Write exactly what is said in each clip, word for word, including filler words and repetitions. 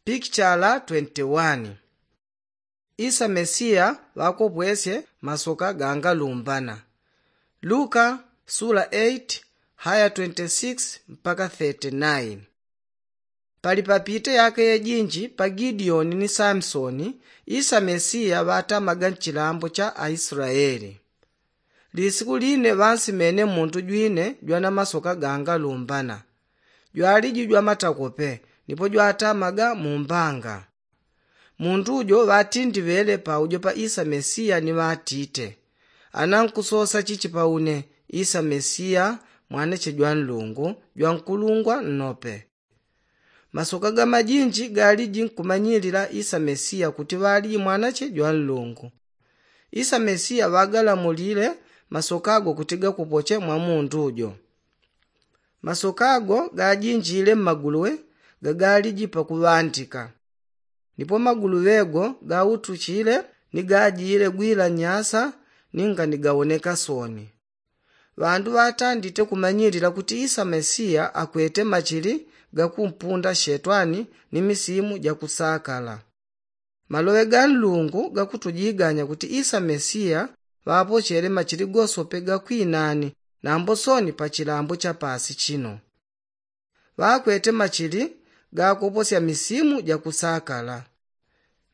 Pikichala twenty-one. Isa mesiya ŵakopwesye masoka gangalumbana. Luka sula eight haya twenty-six mpaka thirty-nine. Pali papite yaka yejinji pa gideoni ni samisoni, isa mesiya ŵatamaga nchilambo cha aislaeli. Lisiku line ŵansimene mundu jwine jwana masoka gangalumbana. Jwaliji jwamatakope nipo jwatamaga mumbanga. Mundu jo ŵatindiŵele paujo pa isa mesiya ni ŵatite, ana nkusosa chichi pa une? Isa mesiya mwanache jwa nlungu jwa nkulungwa nnope. Masoka gamajinji galiji nkumanyilila isa mesiya kuti ŵaliji mwanache jwa nlungu. Isa mesiya ŵagalamulile masoka go kuti gakupoche mwa mundu jo. Masoka go gajinjile mmaguluwe gagaliji pakuŵandika. Nipo maguluwe go gautuchile ni gajile gwila nyasa ninga ni gawoneka soni. Ŵandu ŵatandite kumanyilila kuti isa mesiya akwete machili gakumpunda shetwani ni misimu jakusakala. Maloŵe ga nlungu gakutujiganya kuti isa mesiya ŵapochele machili gosope gakwinani nambo soni pa chilambo cha pasi chino. Ŵakwete machili gakoposya misimu jakusakala.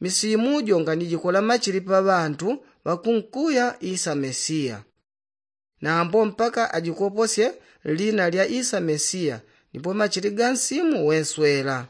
Misimu jo nganijikola machili pa ŵandu ŵakunkuya isa mesiya. Nambo mpaka ajikoposye lina lya isa mesiya nipo machili ga nsimu weswela.